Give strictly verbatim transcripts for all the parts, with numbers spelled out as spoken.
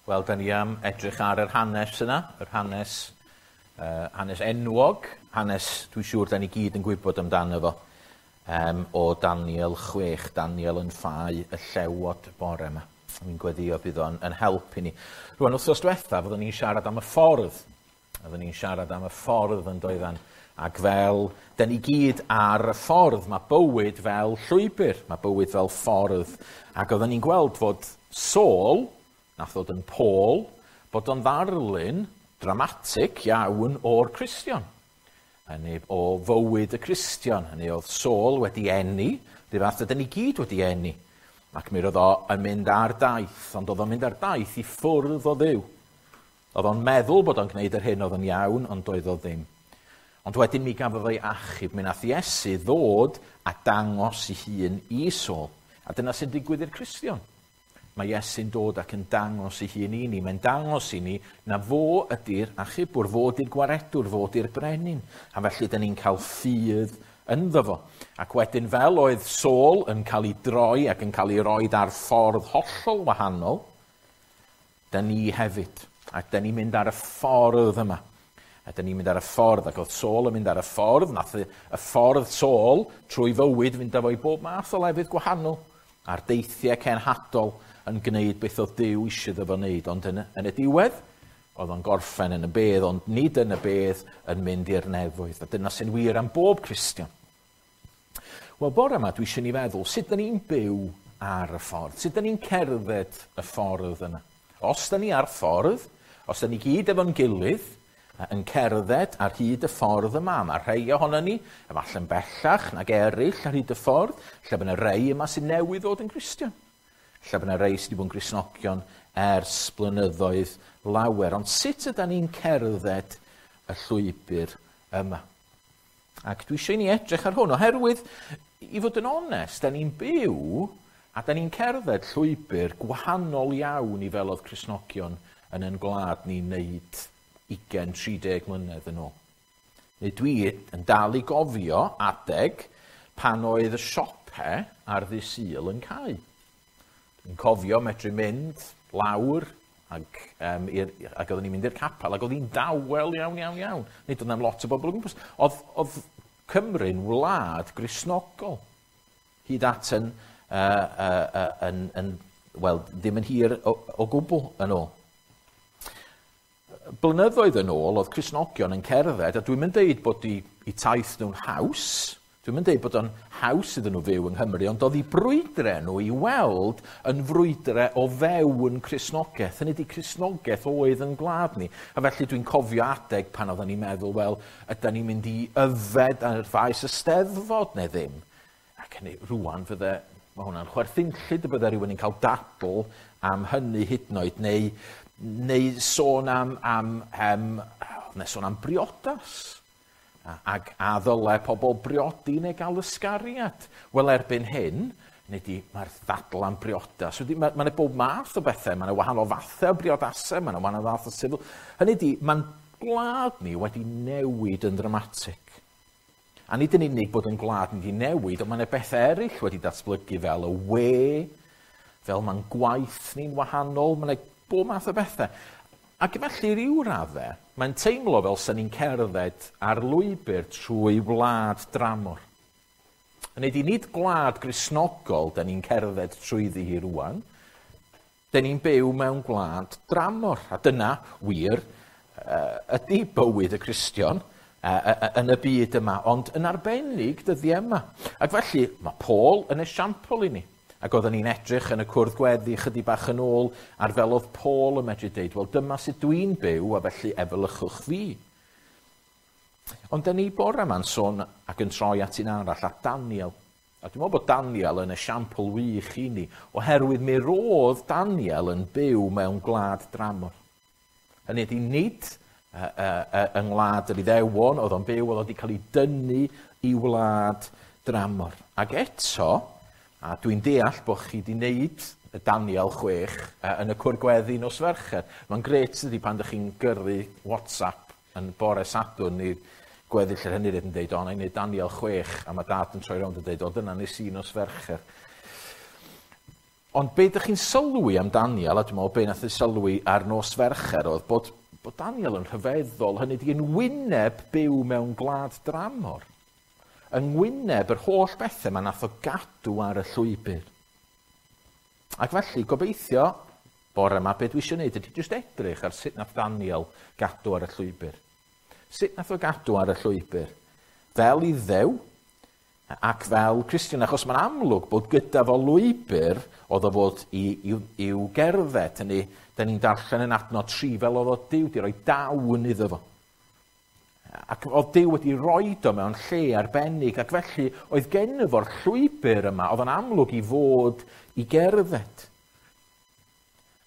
Wel, da ni am edrych ar yr hanes yna, yr hanes, uh, hanes enwog, hanes dwi'n siŵr da ni gyd yn gwybod amdano fo, um, o Daniel chwech, Daniel yn ffau y llewod bore yma. Mi'n gweddio bydd o'n yn help i ni. Rwan, wythnos diwetha, fyddwn ni'n siarad am y ffordd. Fyddwn ni'n siarad am y ffordd yn doeddan. Ac fel, da ni gyd ar y ffordd, mae bywyd fel llwybr, mae bywyd fel ffordd. Ac oedden ni'n gweld fod Saul, nath ddod yn Paul, bod o'n ddarlun dramatig iawn o'r Cristion. Hynny o fywyd y Cristion. Hynny oedd Saul wedi eni, rhyw fath ydyn ni gyd wedi eni. Ac mi roedd o yn mynd ar daith, ond oedd o'n mynd ar daith i ffwrdd o Dduw. Oedd o'n meddwl bod o'n gwneud yr hyn oedd yn iawn, ond doedd o ddim. Ond wedyn mi gafodd o'i achub, mi nath Iesu ddod a dangos ei hun i Saul. A dyna sy'n digwydd i'r Cristion. Mae Iesu'n dod ac yn dangos ei hun i ni. Mae'n dangos i ni na fo ydy'r achubwr, fo ydy'r gwaredwr, fo ydy'r brenin. A felly dyn ni'n cael ffydd ynddo fo. Ac wedyn fel oedd Saul yn cael ei droi ac yn cael ei roed ar ffordd hollol wahanol, dyn ni hefyd. Ac dyn ni'n mynd ar y ffordd yma. A dyn ni'n mynd ar y ffordd, ac oedd Saul yn mynd ar y ffordd, nath y ffordd Saul trwy fywyd fynd â fo i bob math o lefydd gwahanol, a'r deithiau cenhadol yn gwneud beth oedd Duw eisiau iddo fo wneud, ond yn, yn y diwedd, oedd o'n gorffen yn y bedd, ond nid yn y bedd yn mynd i'r nefoedd. A dyna sy'n wir am bob Cristion. Wel, bore yma dwi eisiau ni feddwl, sut dyn ni'n byw ar y ffordd? Sut dyn ni'n cerdded y ffordd yna? Os dyn ni ar ffordd, os dyn ni gyd efo'n gilydd, yn cerdded ar hyd y ffordd yma, mae rhai ohono ni, efallai'n bellach nag eraill ar hyd y ffordd, lle bydd yna rhai yma sy'n newydd ddod yn Gristion. Lle bydd yna rhai sydd wedi bod yn Gristnogion ers blynyddoedd lawer. Ond sut ydan ni'n cerdded y llwybr yma? Ac dwi eisiau i ni edrych ar hwn, oherwydd, i fod yn onest, da ni'n byw a da ni'n cerdded llwybr gwahanol iawn i fel oedd Cristnogion yn ein gwlad ni'n neud ugain, tri deg mlynedd yn ôl. Neu dwi yn dal i gofio adeg pan oedd y siopau ar ddydd Sul yn cau. Dwi'n cofio medru mynd lawr ac, um, i'r, ac oedden ni'n mynd i'r capel ac oedd hi'n dawel iawn, iawn, iawn. Nid oedd na'm lot o bobl o gwmpas. Oedd, oedd Cymru'n wlad Gristnogol. Hyd at yn, uh, uh, uh, yn, yn, wel, ddim yn hir o, o gwbl yn ôl. Blynyddoedd yn ôl oedd Cristnogion yn cerdded, a dwi'n mynd deud bod i, i taith nhw'n haws, dwi'n mynd deud bod o'n haws iddyn nhw fyw yng Nghymru, ond oedd i brwydre nhw i weld yn frwydre o fewn Cristnogaeth. Hynny ydi Cristnogaeth oedd yn gwlad ni. A felly dwi'n cofio adeg pan oedden ni'n meddwl, wel, ydan ni'n mynd i yfed ar faes y Steddfod neu ddim. Ac hynny, rŵan fydde, mae hwnna'n chwerthinllyd y bydde rhywun yn cael dadl am hynny hyd yn oed, neu, neu sôn am, am, um, neu sôn am briodas. Ac a ddyle pobl briodi neu gael ysgariad. Wel, erbyn hyn, nid i, mae'r ddadl am briodas. Mae yna ma bob math o bethau, mae yna wahanol fathau o briodasau, mae yna wahanol fath o sifil. Hynny ydi, mae'n gwlad ni wedi newid yn ddramatig. A nid yn unig bod yn gwlad ni wedi newid, ond mae yna bethau eraill wedi datblygu fel y we, fel mae'n gwaith ni'n wahanol, mae yna bob math o bethau. Ac felly ryw raddau, mae'n teimlo fel sy'n ni'n cerdded ar lwybr trwy wlad dramor. Hynny ydi, nid gwlad Gristnogol da ni'n cerdded trwyddi hi rŵan, da ni'n byw mewn gwlad dramor. A dyna, wir, ydy bywyd y Cristion yn y byd yma, ond yn arbennig dyddiau yma. Ac felly, mae Paul yn esiampl i ni. Ac oedden ni'n edrych yn y cwrdd gweddi chydig bach yn ôl ar fel oedd Paul yn medru deud, wel dyma sut dwi'n byw a felly efelychwch fi. Ond dyn ni bore yma'n sôn ac yn troi at un arall, at Daniel. A dwi'n meddwl bod Daniel yn esiampl wych i ni, oherwydd mi roedd Daniel yn byw mewn gwlad dramor. Hynny ydi, nid uh, uh, uh, yng ngwlad yr Iddewon, oedd o'n byw, oedd o wedi cael ei dynnu i wlad dramor. Ac eto, a dwi'n deall bod chi wedi wneud y Daniel chwech yn y cwrdd gweddi nos Fercher. Mae'n grêt ydy pan ydych chi'n gyrru WhatsApp yn bore Sadwrn i gweddill yr hynny yn deud, o, na i wneud Daniel chwech, a mae dad yn troi rownd yn deud, o, dyna nes i nos Fercher. Ond be ydych chi'n sylwi am Daniel, a dwi'n meddwl be nath ei sylwi ar nos Fercher, oedd bod, bod Daniel yn rhyfeddol, hynny ydi yn wyneb byw mewn gwlad dramor. Yng ngwyneb yr holl bethau mae nath o gadw ar y llwybr. Ac felly, gobeithio, bore yma, be dwi eisiau gwneud ydy jyst edrych ar sut nath Daniel gadw ar y llwybr. Sut nath o gadw ar y llwybr? Fel Iddew ac fel Cristion, achos mae'n amlwg bod gyda fo lwybr oedd o fod i, i, i'w gerdded. Hynny, da ni'n darllen yn adnod tri fel oedd o Duw wedi rhoi dawn iddo fo. Ac oedd Duw wedi roed o mewn lle arbennig, ac felly oedd genno fo'r llwybr yma, oedd o'n amlwg i fod i gerdded.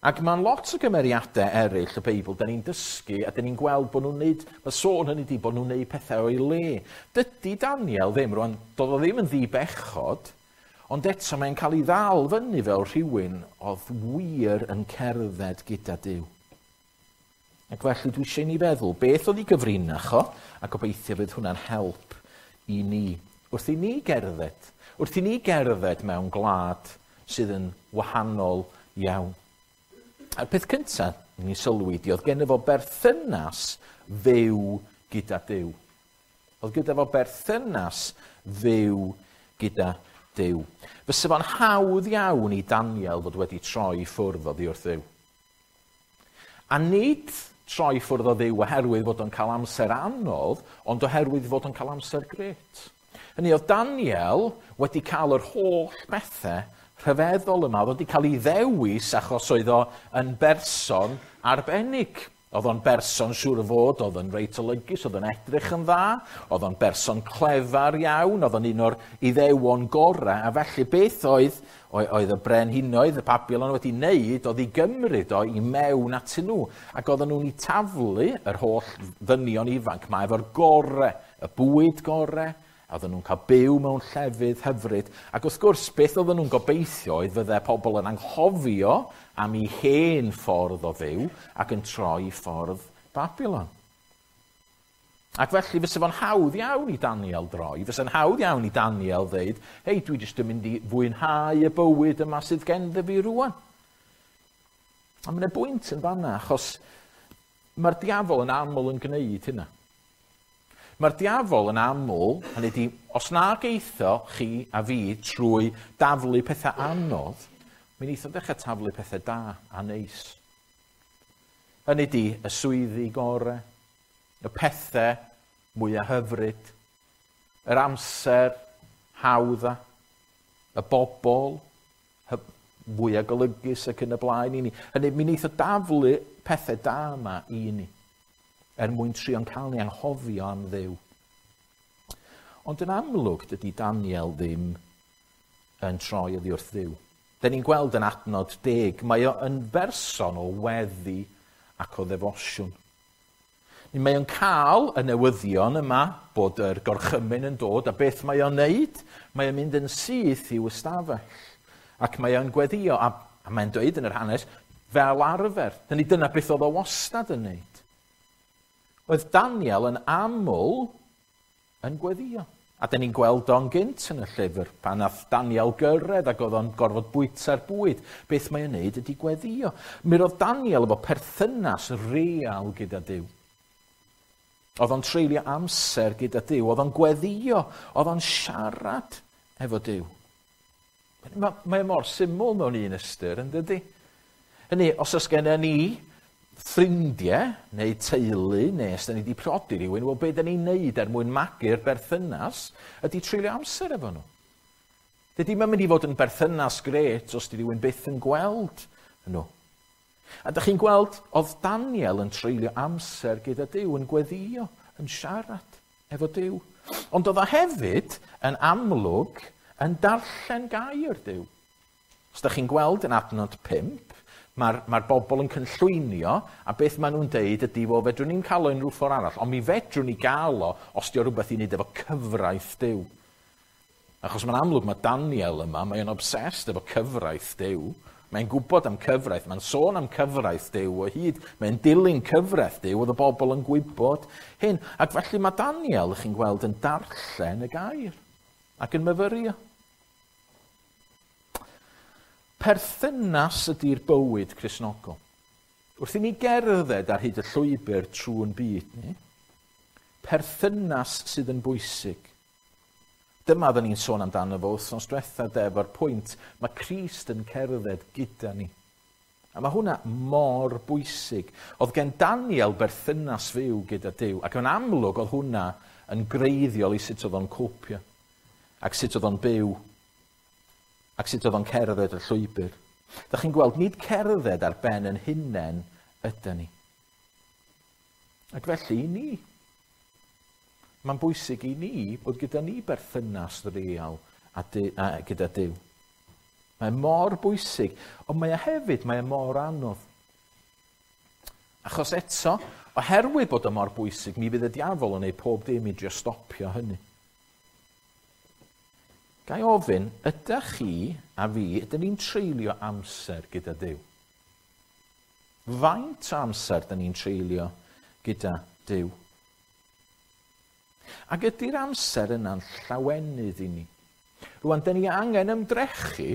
Ac mae'n lot o gymeriadau eraill y Beibl, da ni'n dysgu a da ni'n gweld bod nhw'n neud, mae sôn hynny di bod nhw'n neud pethau o'i le. Dydy Daniel ddim, rwan, doedd o ddim yn ddibechod, ond eto mae'n cael ei ddal fyny fel rhywun oedd wir yn cerdded gyda Duw. Ac felly dwi eisiau ni feddwl beth oedd ei gyfrinach o, a gobeithio fydd hwnna'n help i ni. Wrth i ni gerdded, wrth i ni gerdded mewn gwlad sydd yn wahanol iawn. A'r peth cyntaf ni'n sylwi di, oedd genno fo berthynas fyw gyda Duw. Oedd gyda fo berthynas fyw gyda Duw. Fysa fo'n hawdd iawn i Daniel fod wedi troi ffwrdd oddi wrth Dduw. A nid troi ffwrdd o Dduw oherwydd fod o'n cael amser anodd, ond oherwydd fod o'n cael amser grêt. Hynny oedd Daniel wedi cael yr holl bethau rhyfeddol yma, oedd wedi cael ei ddewis achos oedd o yn berson arbennig. Oedd o'n berson siŵr o fod, oedd o'n reit olygus, oedd o'n edrych yn dda, oedd o'n berson clefar iawn, oedd o'n un o'r Iddewon gorau, a felly beth oedd, oedd y brenhinoedd, y Babilon wedi wneud, oedd i gymryd o i mewn atyn nhw, ac oedden nhw'n ei taflu yr holl ddynion ifanc ma efo'r gorau, y bwyd gorau, a oedden nhw'n cael byw mewn llefydd hyfryd. Ac wrth gwrs, beth oedden nhw'n gobeithio oedd fydde pobl yn anghofio am ei hen ffordd o fyw ac yn troi ffordd Babilon. Ac felly fysa fo'n hawdd iawn i Daniel droi, fysa'n hawdd iawn i Daniel ddeud, hei, dwi jyst yn mynd i fwynhau y bywyd yma sydd genddo fi rŵan. A mae'n bwynt yn fanna, achos mae'r diafol yn aml yn gwneud hynna. Mae'r diafol yn aml, hynny ydi, os na geitho chi a fi trwy daflu pethau anodd, mi neith o ddechrau taflu pethau da a neis. Hynny ydi, y swyddi gorau, y pethau mwyaf hyfryd, yr amser hawdda, y bobl fwyaf golygus ac yn y blaen i ni. Hynny, mi neith o daflu pethau da yma i ni, er mwyn trio'n cael ni anghofio am Dduw. Ond yn amlwg, dydy Daniel ddim yn troi oddi wrth Dduw. Da ni'n gweld yn adnod deg, mae o yn berson o weddi ac o ddefosiwn. Mae o'n cael y newyddion yma bod yr gorchymyn yn dod, a beth mae o'n neud? Mae o'n mynd yn syth i'w ystafell. Ac mae o'n gweddio, a, a mae'n dweud yn yr hanes, fel arfer. Dyna dyna beth oedd o wastad yn neud. Oedd Daniel yn aml yn gweddio. A dyn ni'n gweld o'n gynt yn y llyfr, pan nath Daniel gyrraedd ac oedd o'n gorfod bwyta'r bwyd. Beth mae'n neud ydy gweddio. Mi roedd Daniel efo perthynas real gyda Duw. Oedd o'n treulio amser gyda Duw, oedd o'n gweddio, oedd o'n siarad efo Duw. Mae, mae mor syml mewn un ystyr, yn dydy? Hynny, os oes gennym ni ffrindiau neu teulu, neu os da ni wedi priodi rhywun, wel, be da ni'n neud er mwyn magu'r berthynas ydy treulio amser efo nhw. Dydy mae'n mynd i fod yn berthynas grêt os di rhywun byth yn gweld nhw. A da chi'n gweld, oedd Daniel yn treulio amser gyda Duw, yn gweddio, yn siarad efo Duw. Ond oedd o hefyd yn amlwg yn darllen gair Duw. Os da chi'n gweld yn adnod pump, Mae'r mae bobl yn cynllwynio, a beth maen nhw'n deud ydy, wel, fedrwn ni'n cael o unrhyw ffordd arall, ond mi fedrwn ni gael o os di o rhywbeth i wneud efo cyfraith Duw. Achos mae'n amlwg mae Daniel yma, mae'n obsessed efo cyfraith Duw. Mae'n gwybod am cyfraith, mae'n sôn am cyfraith Duw o hyd, mae'n dilyn cyfraith Duw, oedd y bobl yn gwybod hyn. Ac felly mae Daniel, chi'n gweld, yn darllen y gair ac yn myfyrio. Perthynas ydy'r bywyd Cristnogol. Wrth i ni gerdded ar hyd y llwybr trwy'n byd ni, perthynas sydd yn bwysig. Dyma oedden ni'n sôn amdano fo wythnos diwetha de, efo'r pwynt, mae Crist yn cerdded gyda ni. A mae hwnna mor bwysig. Oedd gen Daniel berthynas fyw gyda Duw, ac yn amlwg oedd hwnna yn greiddiol i sut oedd o'n copio, ac sut oedd o'n byw, ac sut oedd o'n cerdded y llwybr. Dach chi'n gweld, nid cerdded ar ben yn hunain ydy ni. Ac felly i ni, mae'n bwysig i ni bod gyda ni berthynas real a, du, a gyda Duw. Mae mor bwysig, ond mae e hefyd, mae e mor anodd. Achos eto, oherwydd bod o mor bwysig, mi fydd y diafol yn ei pob dim i drio stopio hynny. Ga i ofyn, ydych chi a fi, ydyn ni'n treulio amser gyda Duw? Faint o amser ydyn ni'n treulio gyda Duw? Ac ydy'r amser yna'n llawenydd i ni? Rwan, dyn ni angen ymdrechu,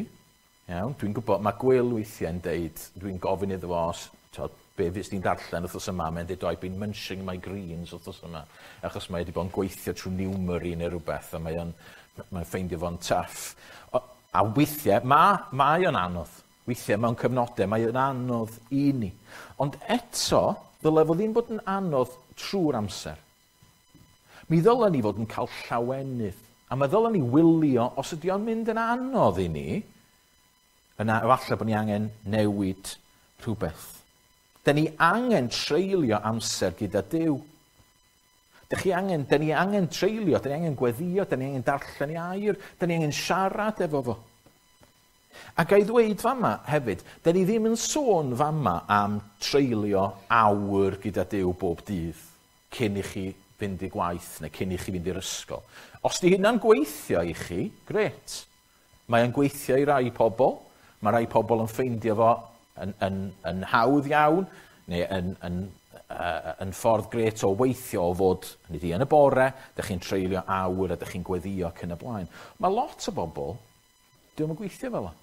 iawn, dwi'n gwybod, mae Gwyl weithiau'n deud, dwi'n gofyn iddo fo, os, t'od, be fes di'n darllen wythnos yma, mae'n deud, oh, I've been munching my greens wythnos yma, achos mae wedi bod yn gweithio trwy Numeri neu rhywbeth, a mae o'n mae'n ffeindio fo'n tough. O, a weithiau, mae, mae o'n anodd. Weithiau mewn cyfnodau, mae o'n anodd i ni. Ond eto, ddyle fo ddim bod yn anodd trwy'r amser. Mi ddylen ni fod yn cael llawenydd. A mae ddylen ni wylio, os ydy o'n mynd yn anodd i ni, yna efallai bod ni angen newid rhywbeth. Da ni angen treulio amser gyda Duw. Da chi angen, da ni angen treulio, da ni angen gweddio, da ni angen darllen ei air, da ni angen siarad efo fo. A ga i ddweud fama hefyd, da ni ddim yn sôn fama am treulio awr gyda Duw bob dydd cyn i chi fynd i gwaith neu cyn i chi fynd i'r ysgol. Os di hynna'n gweithio i chi, grêt. Mae o'n gweithio i rai pobl. Mae rai pobl yn ffeindio fo yn, yn, yn hawdd iawn, neu yn, yn, uh, yn ffordd grêt o weithio o fod nid i yn y bore, dych chi'n treulio awr a dych chi'n gweddio ac yn y blaen. Mae lot o bobl, dio'm yn gweithio fel o.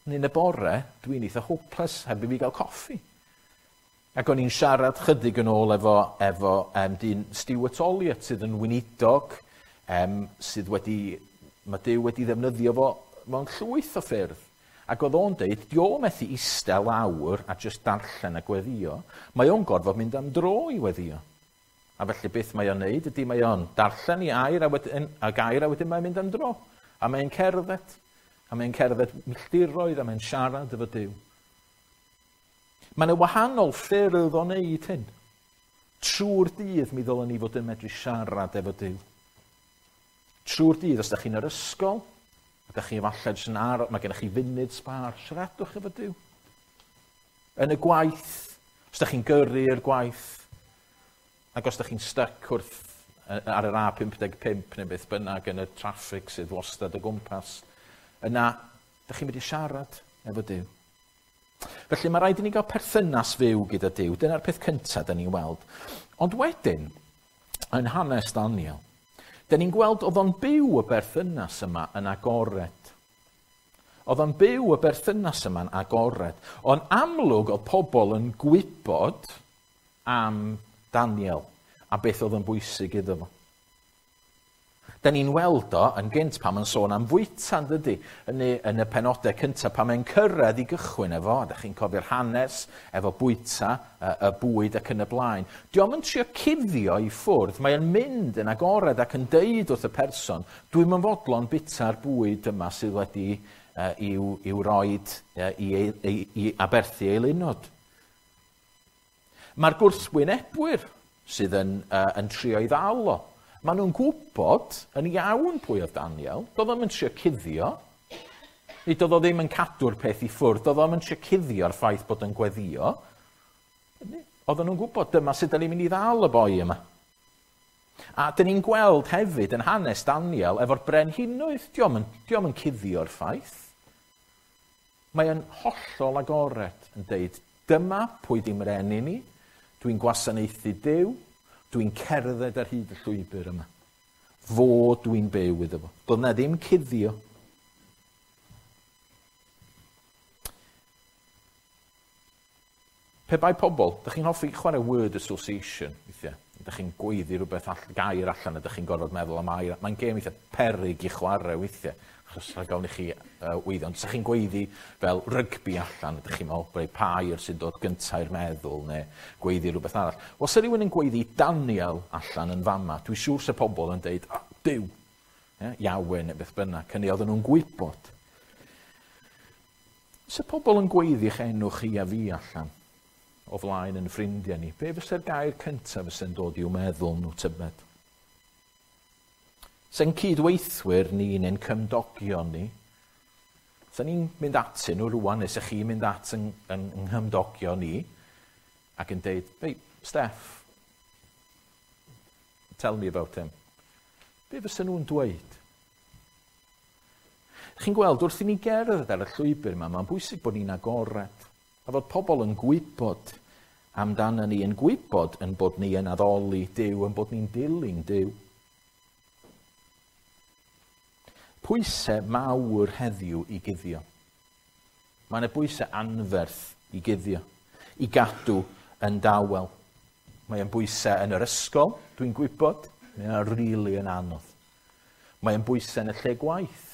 Neu yn y bore, dwi'n eitha hopeless heb i fi gael coffi. Ac o'n i'n siarad chydig yn ôl efo, efo um, dyn Stuart Olliott sydd yn weinidog, um, sydd wedi, mae Duw wedi ddefnyddio fo mewn llwyth o ffyrdd. Ac oedd o'n deud, di o methu eistedd lawr a jyst darllen a gweddio, mae o'n gorfod mynd am dro i weddio. A felly beth mae o'n neud ydy mae o'n darllen i air a wedyn, a gair a wedyn mae'n mynd am dro. A mae'n cerdded. A mae'n cerdded milltiroedd a mae'n siarad efo Duw. Mae yna wahanol ffyrdd o wneud hyn. Trwy'r dydd mi ddylen ni fod yn medru siarad efo Duw. Trwy'r dydd, os ydych chi'n yr ysgol, ydych chi efallai jyst yn aros, mae gennych chi funud sbâr, siaradwch efo Duw. Yn y gwaith, os ydych chi'n gyrru i'r gwaith, ac os ydych chi'n stuck wrth ar yr A pump deg pump neu beth bynnag yn y traffig sydd wastad o gwmpas, yna, ydych chi'n mynd i siarad efo Duw. Felly mae rhaid i ni gael perthynas fyw gyda Duw. Dyna'r peth cyntaf da ni'n weld. Ond wedyn, yn hanes Daniel, da ni'n gweld oedd o'n byw y berthynas yma yn agored. Oedd o'n byw y berthynas yma'n agored. Ond amlwg oedd pobl yn gwybod am Daniel a beth oedd yn bwysig iddo fo. Da ni'n weld o yn gynt pan mae'n sôn am fwyta, yn dydy, yn y, yn y penodau cyntaf, pan mae'n cyrraedd i gychwyn efo, a da chi'n cofio'r hanes efo bwyta, y, y bwyd ac yn y blaen. Dio'm yn trio cuddio i ffwrdd, mae'n mynd yn agored ac yn deud wrth y person, dwi'm yn fodlon bwyta'r bwyd yma sydd wedi uh, i'w, i'w roed uh, i, i, i aberthu eilunod. Mae'r gwrthwynebwyr sydd yn, uh, yn trio i ddal o. Maen nhw'n gwybod yn iawn pwy oedd Daniel. Doedd o'm yn trio cuddio. Nid oedd o ddim yn cadw'r peth i ffwrdd. Doedd o'm yn trio cuddio'r ffaith bod yn gweddio. Oedden nhw'n gwybod dyma sut da ni'n mynd i ddal y boi yma. A dyn ni'n gweld hefyd yn hanes Daniel efo'r brenhinoedd. Dio'm yn, dio'm yn cuddio'r ffaith. Mae yn hollol agored yn deud, dyma pwy di mreni ni, dwi'n gwasanaethu Duw, dwi'n cerdded ar hyd y llwybr yma. Fo dwi'n byw iddo fo. Doedd na ddim cuddio. Pe bai pobl, dych chi'n hoffi chwarae word association, weithiau. Dych chi'n gweiddi rhywbeth all, gair allan a dych chi'n gorfod meddwl am air. Mae'n gêm eitha peryg i chwarae weithiau, achos rhaid gawn i chi uh, weiddi. Ond ydych chi'n gweiddi fel rygbi allan, ydych chi'n meddwl, rei pa air sy'n dod gyntaf i'r meddwl, neu gweiddi rhywbeth arall. Os ydy rhywun yn gweiddi Daniel allan yn fama, dwi'n siŵr se pobl yn deud, oh, Duw, yeah, Iawe neu beth bynnag. Hynny oedden nhw'n gwybod. Se pobl yn gweiddi eich enw chi a fi allan o flaen yn ffrindiau ni, be fysa'r gair cyntaf fysa'n dod i'w meddwl nhw tybed? Se'n cydweithwyr ni neu'n cymdogion ni, se'n ni'n mynd atyn nhw rwan, neu se chi'n mynd at yng, yng, yng nghymdogion ni, ac yn deud, "Hey, Steph, tell me about him." Be fysa nhw'n dweud? Chi'n gweld, wrth i ni gerdded ar y llwybr yma, mae'n bwysig bod ni'n agored. A fod pobl yn gwybod amdano ni, yn gwybod yn bod ni yn addoli Duw, yn bod ni'n dilyn Duw. Pwysau mawr heddiw i guddio. Mae yna bwysau anferth i guddio, i gadw yn dawel. Mae yn bwysau yn yr ysgol, dwi'n gwybod, mae yna rili really yn anodd. Mae yn bwysau yn y lle gwaith.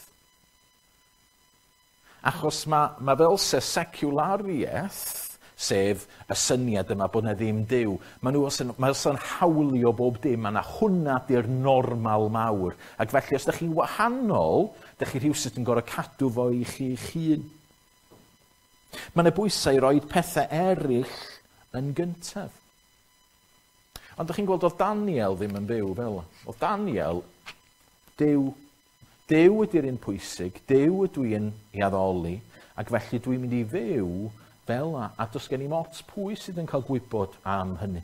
Achos mae, mae fel se seculariaeth, sef y syniad yma bod yna ddim Duw, mae nhw os yn, mae os yn hawlio bob dim, a na hwnna di'r normal mawr. Ac felly, os ydych chi'n wahanol, ydych chi rhywsut yn gorfod cadw fo i chi'ch hun. Mae yna bwysau i roi pethau eraill yn gyntaf. Ond ydych chi'n gweld, oedd Daniel ddim yn byw fel. Oedd Daniel, Duw, Duw ydy'r un pwysig, Duw ydw i'n ei addoli, ac felly dwi'n mynd i fyw fel a, a does gen i'm ots pwy sydd yn cael gwybod am hynny.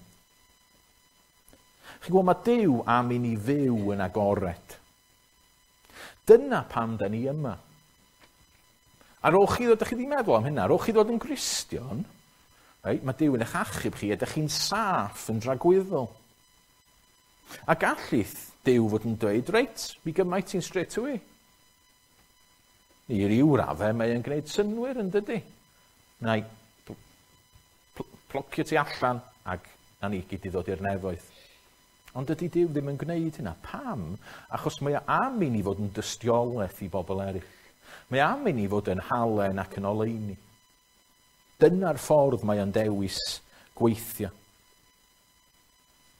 Chi'n gwybod, mae Duw am i ni fyw yn agored. Dyna pam da ni yma. Ar ôl chi ddod, ydych chi ddim meddwl am hynna, ar ôl chi ddod yn Gristion, right, mae Duw yn eich achub chi, ydych chi'n saff yn dragwyddol. A gallith Duw fod yn dweud, reit, mi gymaint ti'n straight away. I ryw raddau mae yn gwneud synwyr yn dydy. Na i plocio ti allan ac na ni gyd i ddod i'r nefoedd. Ond dydy Duw ddim yn gwneud hynna. Pam? Achos mae o am i ni fod yn dystiolaeth i bobl eraill. Mae am i ni fod yn halen ac yn oleuni. Dyna'r ffordd mae o'n dewis gweithio.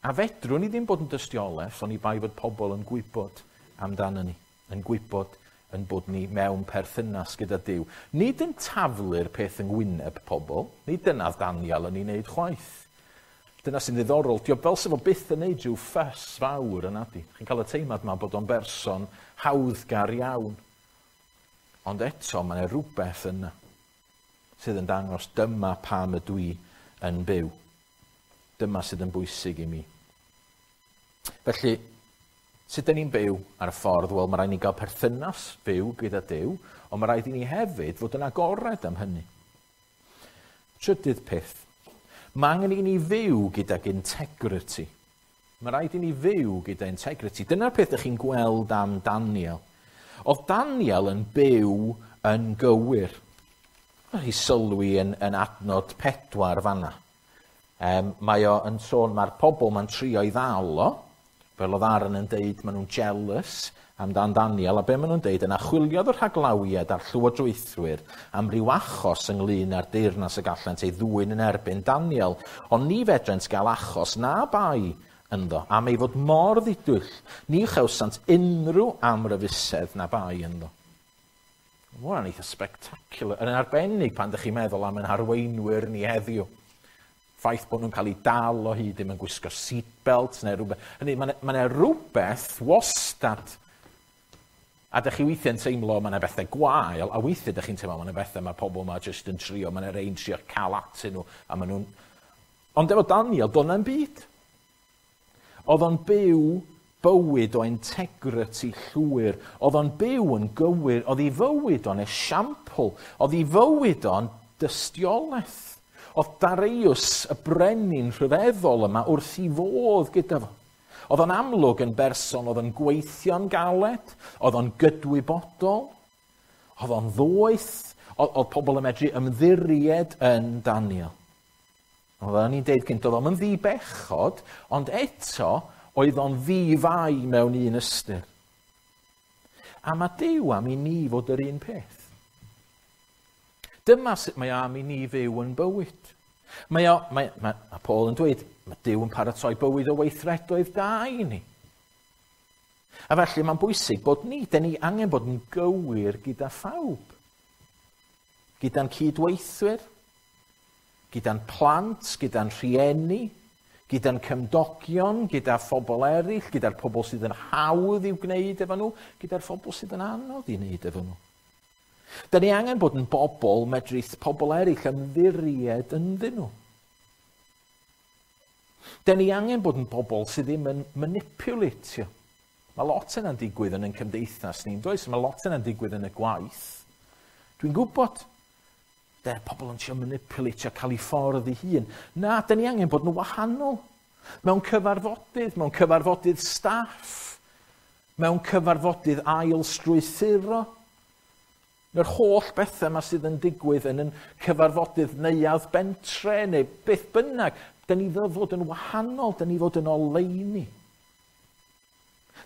A fedrwn ni ddim bod yn dystiolaeth, oni bai fod pobl yn gwybod amdano ni, yn gwybod yn bod ni mewn perthynas gyda Duw. Nid yn taflu'r peth yng ngwyneb pobl, nid dyna Daniel yn ei wneud chwaith. Dyna sy'n ddiddorol, dio fel sef o byth yn neud rhyw ffys fawr yn adi. Chi'n cael y teimlad yma bod o'n berson hawddgar iawn. Ond eto, mae yna rhywbeth yna sydd yn dangos dyma pam ydw i yn byw. Dyma sydd yn bwysig i mi. Felly, sut dyn ni'n byw ar y ffordd? Wel, mae rhaid ni gael perthynas fyw gyda Duw, ond mae rhaid i ni hefyd fod yn agored am hynny. Trydydd peth, mae angen i ni fyw gydag integrity. Mae rhaid i ni fyw gyda integrity. Dyna'r peth ydych chi'n gweld am Daniel. Oedd Daniel yn byw yn gywir. Mae chi sylwi yn, yn adnod pedwar fanna. Um, mae o yn sôn, mae'r pobl ma'n trio i ddal o, fel oedd Aaron yn deud, maen nhw'n jealous amdan Daniel, a be maen nhw'n deud, yna chwiliodd y rhaglawiad a'r llywodraethwyr am ryw achos ynglyn â'r deyrnas y gallent ei ddwyn yn erbyn Daniel, ond ni fedrent gael achos na bai ynddo, am ei fod mor ddidwyll, ni chawsant unrhyw amryfusedd na bai ynddo. Mae hwnna'n eitha spectacular, yn arbennig pan ydych chi'n meddwl am ein harweinwyr ni heddiw. Ffaith bod nhw'n cael eu dal o hyd ddim yn gwisgo seatbelt neu rhywbeth. Hynny, mae yna rhywbeth wastad. A dych chi weithiau'n teimlo mae yna bethau gwael, a weithiau dych chi'n teimlo mae yna bethau mae pobl yma jyst yn trio, mae yna rei'n trio cael atyn nhw, a maen nhw'n... Ond efo Daniel, doedd na'm byd. Oedd o'n byw bywyd o integrity llwyr. Oedd o'n byw yn gywir. Oedd ei fywyd o'n esiampl. Oedd ei fywyd o'n dystiolaeth. Oedd Darius, y brenin rhyfeddol yma, wrth i fodd gyda fo. Oedd o'n amlwg yn berson, oedd o'n gweithio'n galed, oedd o'n gydwybodol, oedd o'n ddoeth, oedd, oedd pobl yn medru ymddiried yn Daniel. Oedden ni'n deud gynt, oedd o'n ddi-bechod, ond eto oedd o'n ddi-fai mewn un ystyr. A mae Duw am i ni fod yr un peth. Dyma sut mae am i ni fyw yn bywyd. Mae o, mae, mae, a Paul yn dweud, mae Duw yn paratoi bywyd o weithredoedd da i ni. A felly mae'n bwysig bod ni, dyn ni angen bod yn gywir gyda phawb. Gyda'n cydweithwyr, gyda'n plant, gyda'n rhieni, gyda'n cymdogion, gyda phobl eraill, gyda'r pobl sydd yn hawdd i'w gwneud efo nhw, gyda'r phobl sydd yn anodd i wneud efo nhw. Da ni angen bod yn bobl medrith pobl eraill ymddiried ynddyn nhw. Da ni angen bod yn bobl sydd ddim yn manipulatio. Mae lot yna'n digwydd yn ein cymdeithas ni'n does? Mae lot yna'n digwydd yn y gwaith. Dwi'n gwybod, de, pobl yn trio manipulatio, cael ei ffordd ei hun. Na, da ni angen bod yn wahanol. Mewn cyfarfodydd, mewn cyfarfodydd staff, mewn cyfarfodydd ail strwythuro. Mae'r holl bethau yma sydd yn digwydd yn yn cyfarfodydd neuadd bentre neu beth bynnag, da ni fod yn wahanol, da ni fod yn oleuni.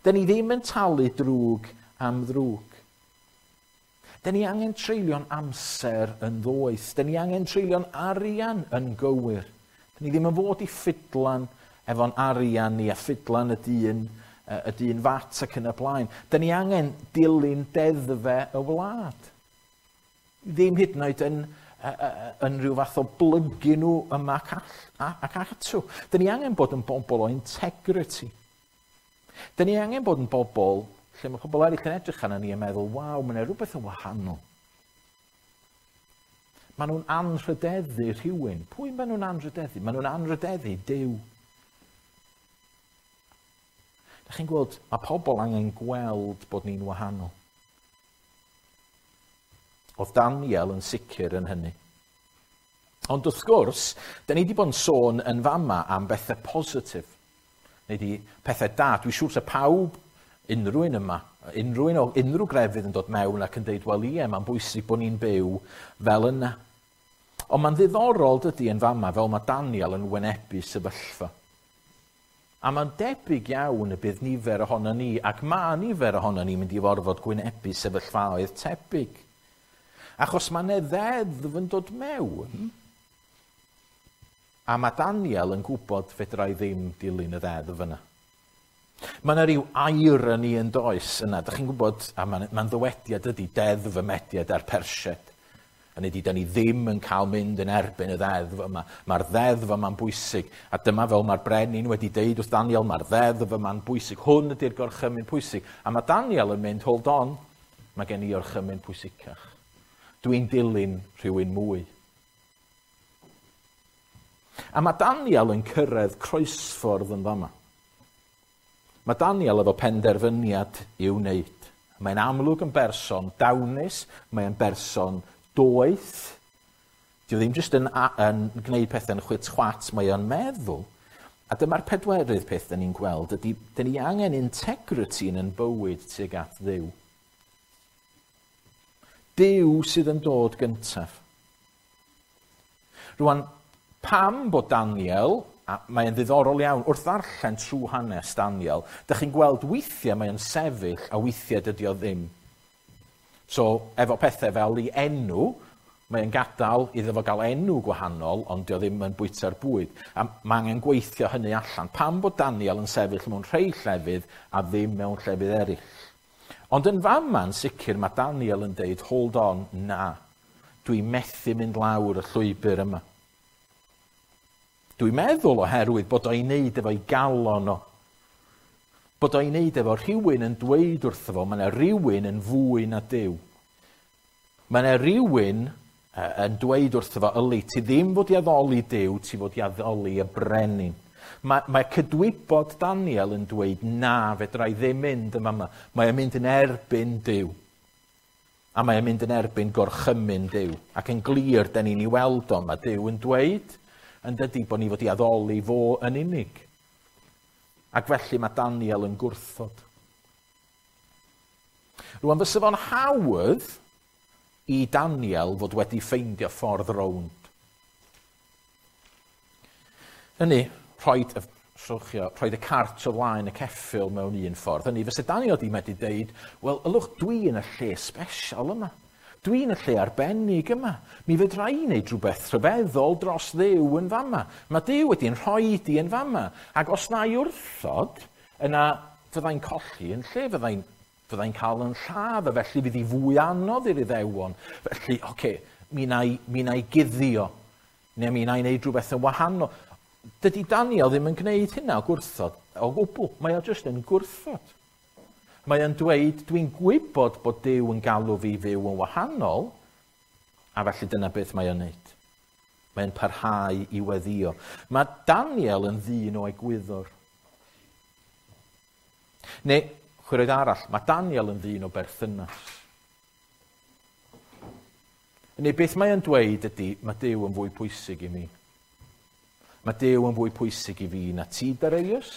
Da ni ddim yn talu drwg am ddrwg. Da ni angen treulio'n amser yn ddoeth. Da ni angen treulio'n arian yn gywir. Da ni ddim yn fod i ffidlan efo'n arian ni a ffidlan y dyn, y dyn fat ac yn y blaen. Da ni angen dilyn deddfe y wlad. Ddim hyd yn oed yn, yn rhyw fath o blygu nhw yma ac, all, ac atw. Da ni angen bod yn bobl o integrity. Da ni angen bod yn bobl lle mae pobl eraill yn edrych arna ni yn meddwl, waw, mae yna rhywbeth yn wahanol. Maen nhw'n anrhydeddu rhywun. Pwy maen nhw'n anrhydeddu? Maen nhw'n anrhydeddu Duw. Da chi'n gweld, mae pobl angen gweld bod ni'n wahanol. Oedd Daniel yn sicr yn hynny. Ond wrth gwrs, da ni wedi bod yn sôn yn fama am bethau positif. Neu di pethau da. Dwi'n siŵr sa pawb, unrhyw un yma, unrhyw un o unrhyw grefydd yn dod mewn ac yn deud, wel ie, mae'n bwysig bod ni'n byw fel yna. Ond mae'n ddiddorol dydy yn fama fel mae Daniel yn wynebu sefyllfa. A mae'n debyg iawn y bydd nifer ohono ni, ac mae nifer ohono ni mynd i forfod gwynebu sefyllfaoedd tebyg. Achos mae 'na ddeddf yn dod mewn, a mae Daniel yn gwybod fedra i ddim dilyn y ddeddf yna. Mae yna rhyw irony yn does yna. Dach chi'n gwybod, a mae'n ma ddywediad ydy deddf y Mediad a'r Persiad. Hynny ydy, da ni ddim yn cael mynd yn erbyn y ddeddf yma. Mae'r ddeddf yma'n bwysig. A dyma fel mae'r brenin wedi deud wrth Daniel, mae'r ddeddf yma'n bwysig. Hwn ydy'r gorchymyn pwysig. A mae Daniel yn mynd, hold on, mae gen i orchymyn pwysicach. Dwi'n dilyn rhywun mwy. A mae Daniel yn cyrraedd croesffordd yn fama. Mae Daniel efo penderfyniad i'w wneud. Mae'n amlwg yn berson dawnus, mae'n berson doeth. Dyw ddim jyst yn, yn gwneud pethau'n chwit chwat, mae o'n meddwl. A dyma'r pedwerydd peth dyn ni'n gweld, ydy, dyn ni angen integrity yn ein bywyd tuag at Dduw. Duw sydd yn dod gyntaf. Rwan, pam bod Daniel, a mae'n ddiddorol iawn, wrth ddarllen trwy hanes Daniel, dych chi'n gweld weithiau mae'n sefyll a weithiau dydy o ddim. So, efo pethau fel ei enw, mae'n gadael iddo fo gael enw gwahanol, ond dio ddim yn bwyta'r bwyd. A mae angen gweithio hynny allan. Pam bod Daniel yn sefyll mewn rhai llefydd a ddim mewn llefydd eraill? Ond yn fama'n sicr mae Daniel yn deud, hold on, na. Dwi'n methu mynd lawr y llwybr yma. Dwi'n meddwl oherwydd bod o'i wneud efo'i galon o. Bod o'i wneud efo rhywun yn dweud wrtho fo, mae yna rhywun yn fwy na Duw. Mae yna rhywun yn dweud wrtho fo, yli, ti ddim fod i addoli Duw, ti fod i addoli y brenin. Mae, mae cydwybod Daniel yn dweud, na, fedra i ddim mynd yma yma. Mae o'n mynd yn erbyn Duw. A mae o'n mynd yn erbyn gorchymyn Duw. Ac yn glir, da ni'n ei weld o, mae Duw yn dweud, yn dydy bod ni fod i addoli fo yn unig. Ac felly mae Daniel yn gwrthod. Rwan, fysa fo'n hawdd i Daniel fod wedi ffeindio ffordd rownd. Hynny, rhoid y, rhoid y cart o flaen y ceffyl mewn un ffordd. Hynny, fysa Daniel di medru deud, wel, ylwch, dwi yn y lle special yma. Dwi yn y lle arbennig yma. Mi fedra i wneud rhywbeth rhyfeddol dros Dduw yn fama. Mae Duw wedi'n rhoi di yn fama. Ac os na i wrthod, yna fyddai'n colli yn lle, fyddai'n fyddai'n cael yn lladd, a felly fydd hi fwy anodd i'r Iddewon. Felly, oce, okay, mi na i, mi na i guddio, neu mi na i wneud rhywbeth yn wahanol. Dydy Daniel ddim yn gwneud hynna o gwrthod, o gwbl. Mae o jyst yn gwrthod. Mae o'n dweud, dwi'n gwybod bod Duw yn galw fi fyw yn wahanol, a felly dyna beth mae o'n wneud. Mae'n parhau i weddio. Mae Daniel yn ddyn o egwyddor. Neu, chwiroedd arall, mae Daniel yn ddyn o berthynas. Neu beth mae o'n dweud ydy, mae Duw yn fwy pwysig i mi. Mae Duw yn fwy pwysig i fi na ti, Darius.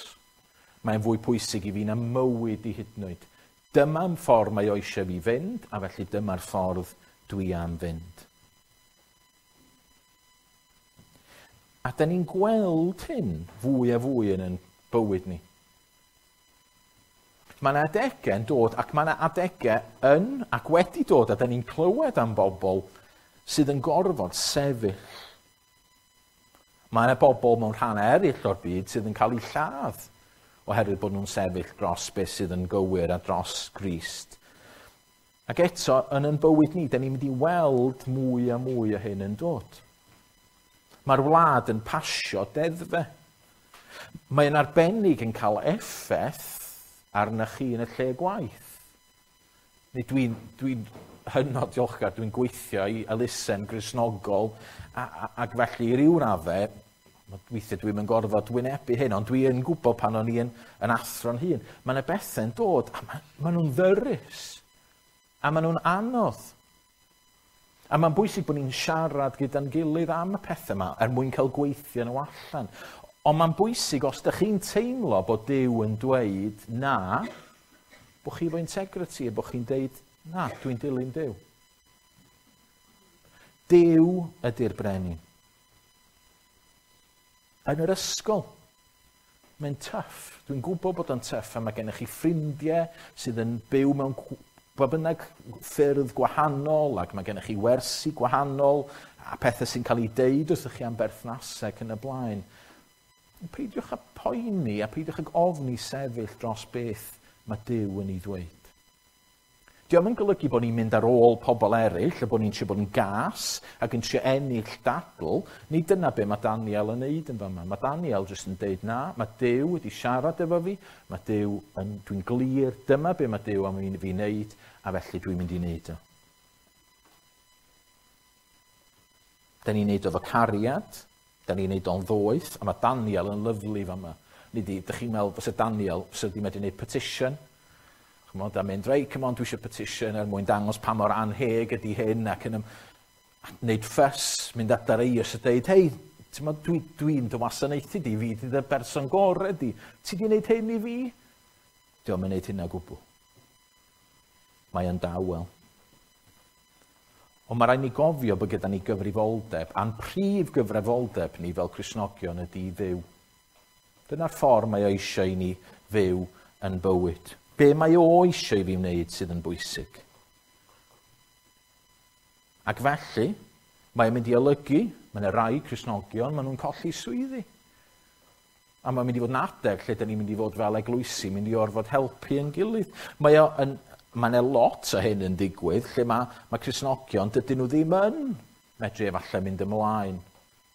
Mae'n fwy pwysig i fi na mywyd i hyd yn oed. Dyma'n ffordd mae o eisiau fi fynd, a felly dyma'r ffordd dwi am fynd. A da ni'n gweld hyn fwy a fwy yn ein bywyd ni. Mae yna adegau yn dod, ac mae yna adegau yn ac wedi dod, a da ni'n clywed am bobl sydd yn gorfod sefyll. Mae yna bobl mewn rhannau eraill o'r byd sydd yn cael eu lladd oherwydd bod nhw'n sefyll dros beth sydd yn gywir a dros Grist. Ac eto, yn ein bywyd ni, da ni'n mynd i weld mwy a mwy o hyn yn dod. Mae'r wlad yn pasio deddfe. Mae'n arbennig yn cael effaith arna chi yn y lle gwaith. Neu dwi'n dwi hynod diolchgar, dwi'n gweithio i elusen Gristnogol, a, a, ac felly i ryw raddau, weithiau dwi'n yn gorfod wynebu hyn, ond dwi yn gwybod pan o'n i yn, yn athro'n hun. Mae yna bethau'n dod, a ma, ma nhw'n ddyrus, a ma nhw'n anodd. A mae'n bwysig bod ni'n siarad gyda'n gilydd am y pethau yma, er mwyn cael gweithio nhw allan. Ond mae'n bwysig, os ydych chi'n teimlo bod Duw yn dweud na, bod chi efo integrity, a bod chi'n deud, na, dwi'n dilyn Duw. Duw ydy'r brenin. Yn yr ysgol, mae'n tough. Dwi'n gwybod bod o'n tough, a mae gennych chi ffrindiau sydd yn byw mewn ba bynnag ffyrdd gwahanol, ac mae gennych chi wersi gwahanol, a pethau sy'n cael eu deud wrthych chi am berthnasau ac yn y blaen. Peidiwch â poeni a peidiwch ag ofni sefyll dros beth mae Duw yn ei ddweud. Dio'm yn golygu bod ni'n mynd ar ôl pobl eraill, a bod ni'n trio bod yn gas ac yn trio ennill dadl. Nid dyna be mae Daniel yn neud yn fama. Mae Daniel jyst yn deud na, mae Duw wedi siarad efo fi, mae Duw yn, dwi'n glir, dyma be mae Duw am i fi wneud, a felly dwi'n mynd i wneud o. Da ni'n neud o efo cariad, da ni'n neud o'n ddoeth, a mae Daniel yn lyfli fama. Nid i, dych chi'n meddwl fysa Daniel, fysa wedi medru gwneud petition, chymod, a mynd, reit, come on, dwi eisiau petition er mwyn dangos pa mor anheg ydy hyn, ac yn wneud ffys, mynd at Darius a deud, hei, dwi'n dwi, dwi dy wasanaethu di, fi di dy berson gorau di, ti di wneud hyn i fi? Dio'm yn wneud hynna gwbl. Mae yn dawel. Ond mae rhaid ni gofio bod gyda ni gyfrifoldeb, a'n prif gyfrifoldeb ni fel Cristnogion ydy Dduw. Dyna'r ffordd mae o eisiau i ni fyw yn bywyd. Be mae o eisiau i fi wneud sydd yn bwysig. Ac felly, mae'n mynd i olygu, mae yna rai Cristnogion, maen nhw'n colli swyddi. A mae'n mynd i fod yn adeg lle da ni'n mynd i fod fel eglwysi, mynd i orfod helpu yn gilydd. Mae o yn, mae yna lot o hyn yn digwydd, lle mae, mae Cristnogion, dydyn nhw ddim yn medru efallai mynd ymlaen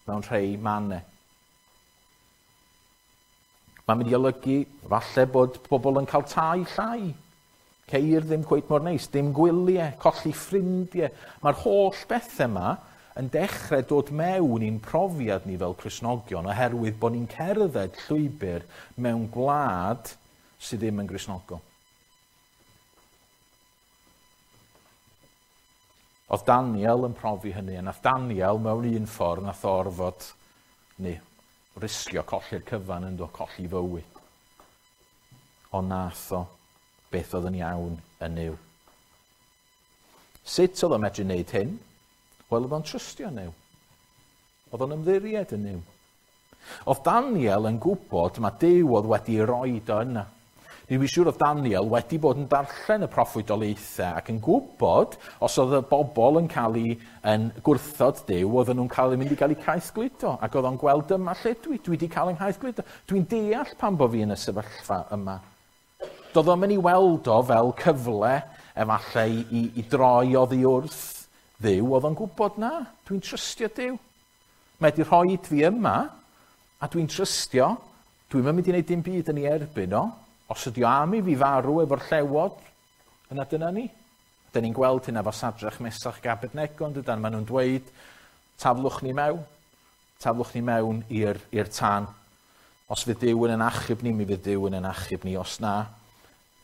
mewn rhai mannau. Mae'n mynd i olygu falle bod pobl yn cael tai llai. Ceir ddim cweit mor neis, dim gwyliau, colli ffrindiau. Mae'r holl bethau yma yn dechrau dod mewn i'n profiad ni fel Cristnogion oherwydd bod ni'n cerdded llwybr mewn gwlad sydd ddim yn Gristnogol. Oedd Daniel yn profi hynny, a nath Daniel mewn un ffordd nath orfod, neu risgio colli'r cyfan yn do, colli fywyd. Ond nath o beth oedd yn iawn yn Nuw. Sut oedd o'n medru wneud hyn? Wel, oedd o'n trystio Nuw. Oedd o'n ymddiried yn Nuw. Oedd Daniel yn gwybod mae Duw oedd wedi roed o yna. Dwi'n siŵr oedd Daniel wedi bod yn darllen y proffwydoliaethau ac yn gwybod os oedd y bobl yn cael ei yn gwrthod Duw, oedden nhw'n cael eu mynd i gael eu caethgludo. Ac oedd o'n gweld dyma lle dwi, dwi wedi cael yng nghaethgludo. Dwi'n deall pam bod fi yn y sefyllfa yma. Doedd o'n mynd i weld o fel cyfle efallai i, i, i droi oddi wrth Dduw, oedd o'n gwybod na, dwi'n trystio Duw. Mae wedi rhoi fi yma, a dwi'n trystio, dwi'n mynd i wneud dim byd yn ei erbyn o. Os ydy o am i fi farw efo'r llewod, yna dyna ni. Dyna ni'n gweld hynna efo Sadrach, Mesach ac Abednego, dydan, maen nhw'n dweud, taflwch ni mewn, taflwch ni mewn i'r, i'r tân. Os fydd Duw yn yn achub ni, mi fydd Duw yn yn achub ni. Os na,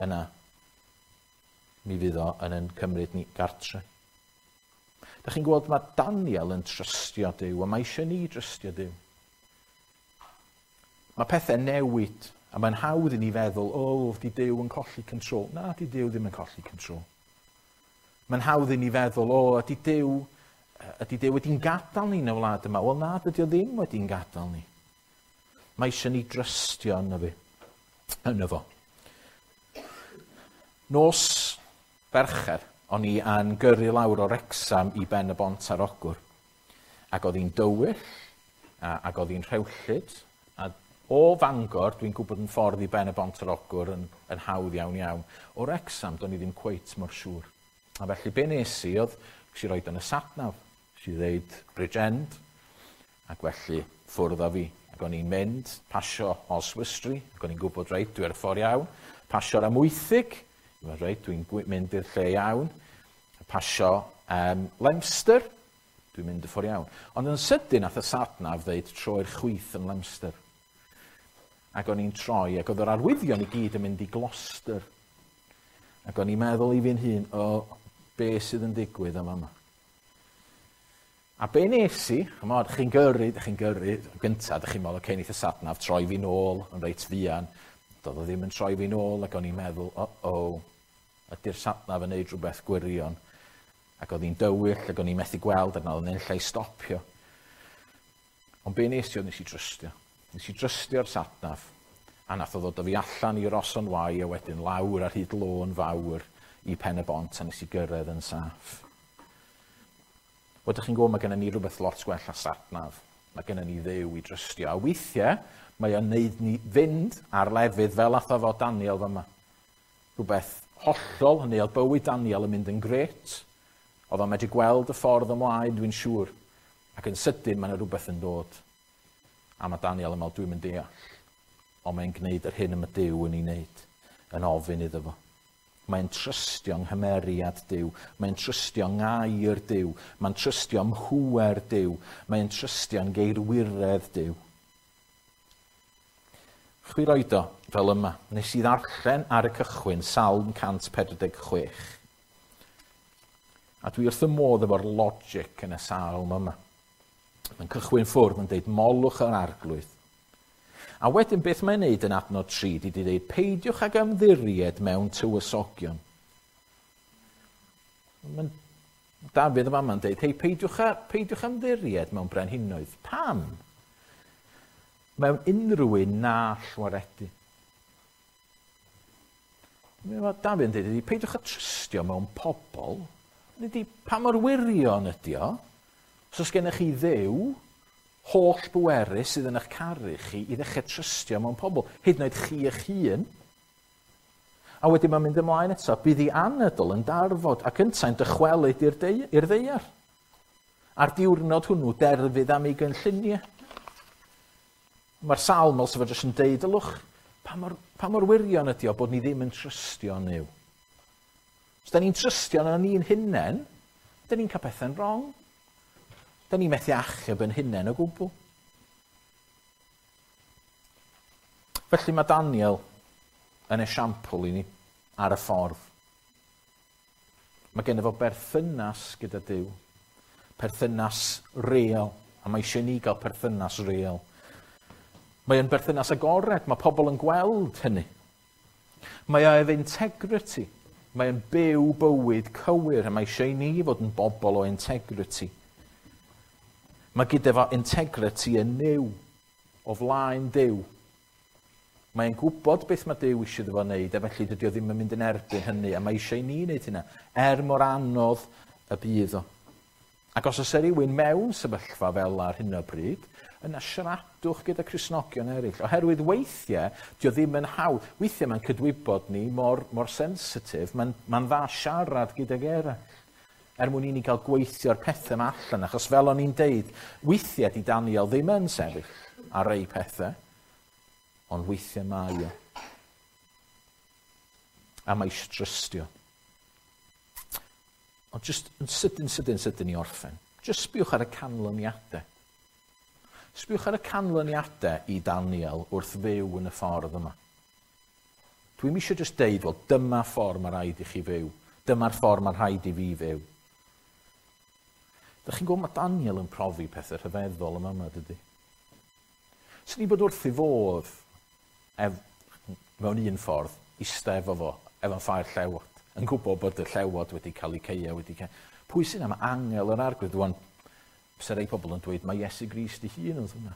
yna, mi fydd o yn yn cymryd ni gartre. Da chi'n gweld mae Daniel yn trystio Duw, a mae eisiau ni drystio Duw. Mae pethau newid, a mae'n hawdd i ni feddwl, o, oh, di Duw yn colli control. Na, di Duw ddim yn colli control. Mae'n hawdd i ni feddwl, o, oh, ydy Duw, ydy Duw wedi'n gadael ni yn y wlad yma? Wel, na, dydy o ddim wedi'n gadael ni. Mae eisiau ni drystio yno fi, yno fo. Nos Fercher, o'n i yn gyrru lawr o Wrecsam i Ben y Bont ar Ogwr. Ac oedd hi'n dywyll, a, ac oedd hi'n rhewllyd, a o Fangor, dwi'n gwybod yn ffordd i Ben y Bont ar Ogwr yn, yn hawdd iawn iawn. O Wrecsam, do'n i ddim cweit mor siŵr. A felly be nes i oedd, nes i roed yn y satnav, nes i ddeud Bridge End, ac felly ffwrdd â fi. Ac o'n i'n mynd, pasio Oswestry, ac o'n i'n gwybod reit, dwi ar y ffordd iawn, pasio'r Amwythig, reit, dwi'n mynd i'r lle iawn, pasio um, Leominster, dwi'n mynd y ffordd iawn. Ond yn sydyn nath y satnav ddeud troi'r chwith yn Leominster. Ac o'n i'n troi, ac oedd yr arwyddion i gyd yn mynd i Gloucester. Ac o'n i'n meddwl i fi'n hun, o, be sydd yn digwydd yma yma. A be nes i, chymod, chi'n gyrru, chi'n gyrru, gyntaf, dych chi'n meddwl, oce, neith y satnav troi fi nôl yn reit fuan. Doedd o ddim yn troi fi nôl, ac o'n i'n meddwl, o, o, ydy'r satnav yn neud rhywbeth gwirion. Ac oedd hi'n dywyll, ac o'n i'n methu gweld, ac oedd yn lle i stopio. Ond be nes i oedd nes i drystio. Nes i drystio'r satnav, a nath o ddod o fi allan i Ross-on Wye, a wedyn lawr ar hyd lôn fawr i Pen y Bont, a nes i gyrraedd yn saff. Wel, dych chi'n gwybod, mae gennym ni rhywbeth lot gwell a satnav. Mae gennym ni Dduw i drystio. A weithiau, mae o'n neud ni fynd ar lefydd fel ath o fo Daniel fyma. Rhywbeth hollol, hynny oedd bywyd Daniel yn mynd yn gret. Oedd o'n medru gweld y ffordd ymlaen, dwi'n siŵr. Ac yn sydyn, mae yna rhywbeth yn dod. A mae Daniel yn meddwl, dwi'n mynd deall. Ond mae'n gwneud yr hyn y mae Duw yn ei wneud, yn ofyn iddo fo. Mae'n trystio yng nghymeriad Duw, mae'n trystio yng ngair Duw, mae'n trystio ym mhŵer Duw, mae'n trystio yng ngeirwiredd Duw. Chwi roed o fel yma, nes i ddarllen ar y cychwyn Salm cant pedwar deg chwech. A dwi wrth y modd efo'r logic yn y salm yma. Mae'n cychwyn ffwrdd yn deud molwch yr arglwydd. A wedyn beth mae'n neud yn adnod tri, di di dweud, peidiwch ag ymddiried mewn tywysogion. Mae'n Dafydd yma yn deud, hei, peidiwch, a, peidiwch ymddiried mewn brenhinoedd. Pam? Mewn unrhyw un na llwaredu. Mae Dafydd yn dweud, peidiwch â trystio mewn pobl. Ydy, pa mor wirion ydy o? Os oes gennych chi Dduw, holl bwerus sydd yn eich caru chi i ddechrau trystio mewn pobl, hyd yn oed chi eich hun. A wedyn mae'n mynd ymlaen eto, bydd ei anadl yn darfod ac yntau'n dychwelyd i'r i'r ddaear. A'r diwrnod hwnnw derfydd am ei gynlluniau. Mae'r salm fel sef jyst yn deud, ylwch, pa mor, pa mor wirion ydy o bod ni ddim yn trystio yn Nuw. Os da ni'n trystio yn ni'n hunain, da ni'n cael pethau'n wrong. Da ni'n methu achub yn hunain o gwbl. Felly mae Daniel yn esiampl i ni ar y ffordd. Mae genno fo berthynas gyda Duw, perthynas real, a mae eisiau ni gael perthynas real. Mae o'n berthynas agored, mae pobl yn gweld hynny. Mae o efo integrity, mae o'n byw bywyd cywir, a mae eisiau i ni fod yn bobl o integrity. Mae gyda fo integrity yn Nuw. o flaen Duw. Mae'n gwybod beth mae Duw eisiau iddo fo wneud, a felly dydy o ddim yn mynd yn erbyn hynny, a mae eisiau i ni wneud hynna, er mor anodd y bydd o. Ac os oes rhywun mewn sefyllfa fel ar hyn o bryd, yna siaradwch gyda Cristnogion eraill. Oherwydd weithiau, dio ddim yn hawdd. Weithiau mae'n cydwybod ni mor, mor sensitif, mae'n mae'n dda siarad gydag eraill, er mwyn i ni gael gweithio'r pethau yma allan, achos fel o'n i'n deud, weithiau di Daniel ddim yn sefyll ar rei pethau, ond weithiau mae o. A mae eisiau trystio. Ond just yn sydyn, sydyn, sydyn i orffen. Just sbiwch ar y canlyniadau. Sbiwch ar y canlyniadau i Daniel wrth fyw yn y ffordd yma. Dwi'm eisiau just deud, wel, dyma ffordd mae rhaid i chi fyw. Dyma'r ffordd mae rhaid i fi fyw. Dych chi'n gwybod mae Daniel yn profi pethau rhyfeddol yma yma, dydy? Swn i'n bod wrth ei fodd, ef, mewn un ffordd, ista efo fo, efo'n ffair llewod, yn gwybod bod y llewod wedi cael eu ceia, wedi cael... Pwy sy'n am angel yr arglwydd? Rwan, fysa rei pobl yn dweud, mae Iesu Grist ei hun oedd hwnna.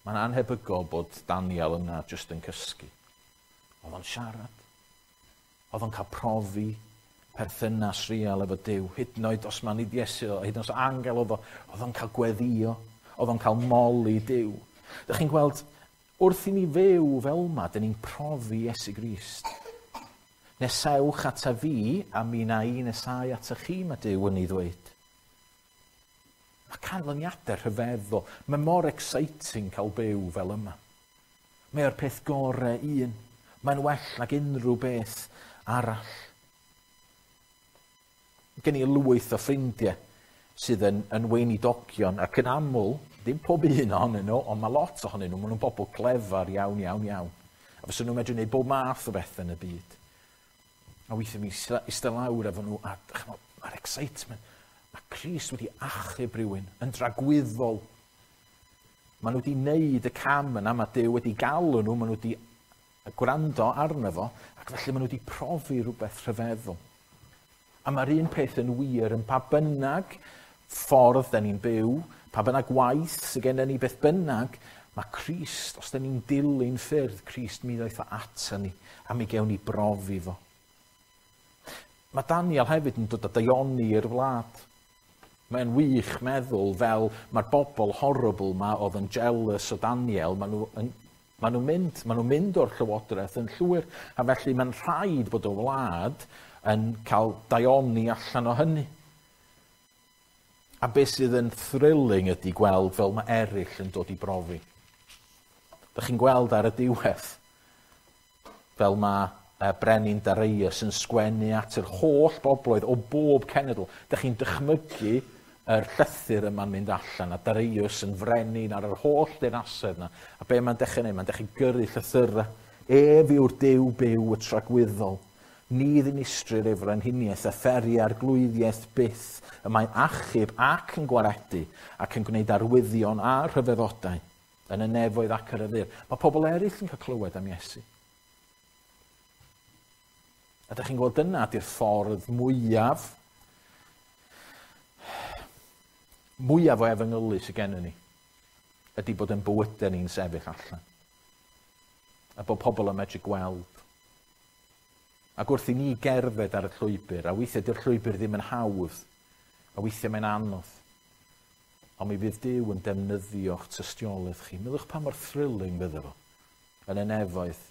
Mae'n anhebygol bod Daniel yna jyst yn cysgu. Oedd o'n siarad. Oedd o'n cael profi perthynas real efo Duw. Hyd yn oed os mae'n nid Iesu, hyd yn oed os angel oedd o, oedd o'n cael gweddio, oedd o'n cael moli Duw. Dych chi'n gweld, wrth i ni fyw fel yma, dyn ni'n profi Iesu Grist. Nesewch ata fi, a mi na i nesau ata chi, mae Duw yn ei ddweud. Mae canlyniadau rhyfeddol. Mae mor exciting cael byw fel yma. Mae o'r peth gorau un. Mae'n well nag unrhyw beth arall. Gen i lwyth o ffrindiau sydd yn, yn weinidogion, ac yn aml, ddim pob un ohonyn nhw, ond mae lot ohonyn nhw, maen nhw'n bobl clefar iawn, iawn, iawn. A fysa nhw'n medru gwneud bob math o bethau yn y byd. A weithiau mi eistedd lawr efo nhw, a mae'r excitement, mae Crist wedi achub rhywun yn dragwyddol. Maen nhw wedi wneud y cam yna, mae Duw wedi galw nhw, maen nhw wedi gwrando arno fo, ac felly maen nhw wedi profi rhywbeth rhyfeddol. A mae'r un peth yn wir yn pa bynnag ffordd da ni'n byw, pa bynnag waith sydd gennym ni, beth bynnag, mae Crist, os da ni'n dilyn ffyrdd Crist, mi ddaeth o ata ni, a mi gewn ni brofi fo. Mae Daniel hefyd yn dod â daioni i'r wlad. Mae'n wych meddwl fel mae'r bobl horrible ma oedd yn jealous o Daniel, maen nhw yn, maen nhw'n mynd, maen nhw'n mynd o'r llywodraeth yn llwyr, a felly mae'n rhaid bod y wlad yn cael daioni allan o hynny. A beth sydd yn thrilling ydy gweld fel mae eraill yn dod i brofi. Dych chi'n gweld ar y diwedd fel mae Brenin Darius yn sgwennu at yr holl bobloedd o bob cenedl. Dych chi'n dychmygu yr llythyr yma'n mynd allan, a Darius yn frenin ar yr holl deyrnasedd yna. A be mae'n dechrau neud? Mae'n dechrau gyrru llythyrau. Ef yw'r Duw byw y tragwyddol. Ni ddinistrir ei frenhiniaeth a pheri arglwyddiaeth byth. Y mae'n achub ac yn gwaredu ac yn gwneud arwyddion a rhyfeddodau yn y nefoedd ac ar y ddaear. Mae pobl eraill yn cael clywed am Iesu. A dych chi'n gweld dyna ydy'r ffordd mwyaf, mwyaf o efengylu sydd gennym ni, ydy bod yn bywydau ni'n sefyll allan. A bod pobl yn medru gweld. Ac wrth i ni gerdded ar y llwybr, a weithiau dy'r llwybr ddim yn hawdd, a weithiau mae'n anodd, ond mi fydd Duw yn defnyddio'ch tystiolaeth chi. Meddwch pa mor thrilling fydde fo yn y nefoedd.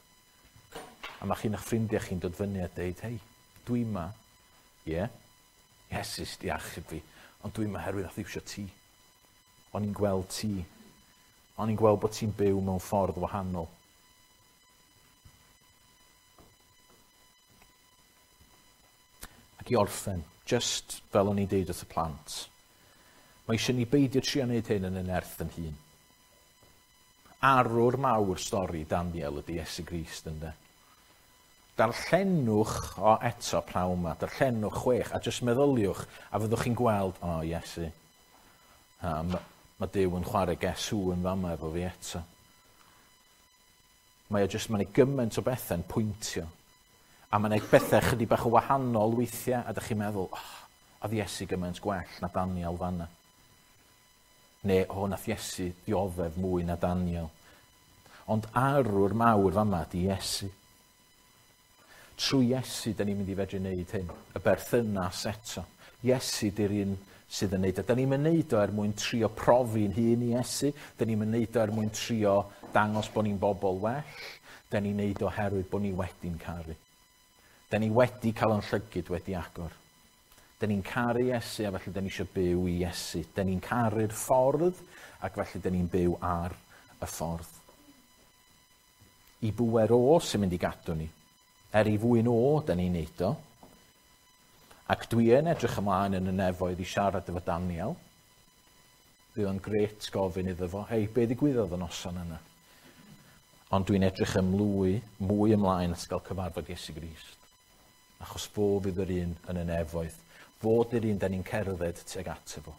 A mae chi'n eich ffrindiau chi'n dod fyny a deud, hei, dwi yma, ie, yeah, Iesu di achub fi, ond dwi yma herwydd nath iwsio ti. O'n i'n gweld ti. O'n i'n gweld bod ti'n byw mewn ffordd wahanol. Ac i orffen, just fel o'n i'n deud wrth y plant, mae eisiau ni beidio trio wneud hyn yn y nerth yn hun. Arwr mawr stori Daniel ydy Iesu Grist, ynde? Darllenwch o eto prawn ma, darllenwch chwech, a jyst meddyliwch, a fyddwch chi'n gweld, o oh, Iesu, ha, mae Duw yn chwarae guess who yn fama efo fi eto. Mae o jyst, mae'n gymaint o bethau'n pwyntio. A mae'n bethau chydig bach o wahanol weithiau, a dych chi'n meddwl, oh, a ddi Iesu gymaint gwell na Daniel fanna. Neu, o, nath Iesu dioddef mwy na Daniel. Ond arwr mawr fama di Iesu. Trwy Iesu, da ni'n mynd i fedru wneud hyn. Y berthynas eto. Iesu di'r un sydd yn neud o. Da ni'n mynd neud o er mwyn trio profi'n hun i Iesu. Da ni'n mynd neud o er mwyn trio dangos bod ni'n bobl well. Da ni'n neud o oherwydd bod ni wedi'n caru. Da ni wedi cael yn llygyd wedi agor. Da ni'n caru Iesu a felly da ni eisiau byw i Iesu. Da ni'n caru'r ffordd ac felly da ni'n byw ar y ffordd. I bwer o sy'n mynd i gadw ni. Er i fwyn o, da ni'n neud o. Ac dwi yn edrych ymlaen yn y nefoedd i siarad efo Daniel. Bydd o'n gret gofyn iddo fo, hei, be ddigwyddodd y noson yna? Ond dwi'n edrych ymlwy, mwy ymlaen at gael cyfarfod Iesu Grist. Achos fo fydd yr un yn y nefoedd. Fo di'r un da ni'n cerdded tuag ato fo.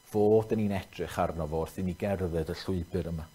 Fo da ni'n edrych arno fo wrth i ni gerdded y llwybr yma.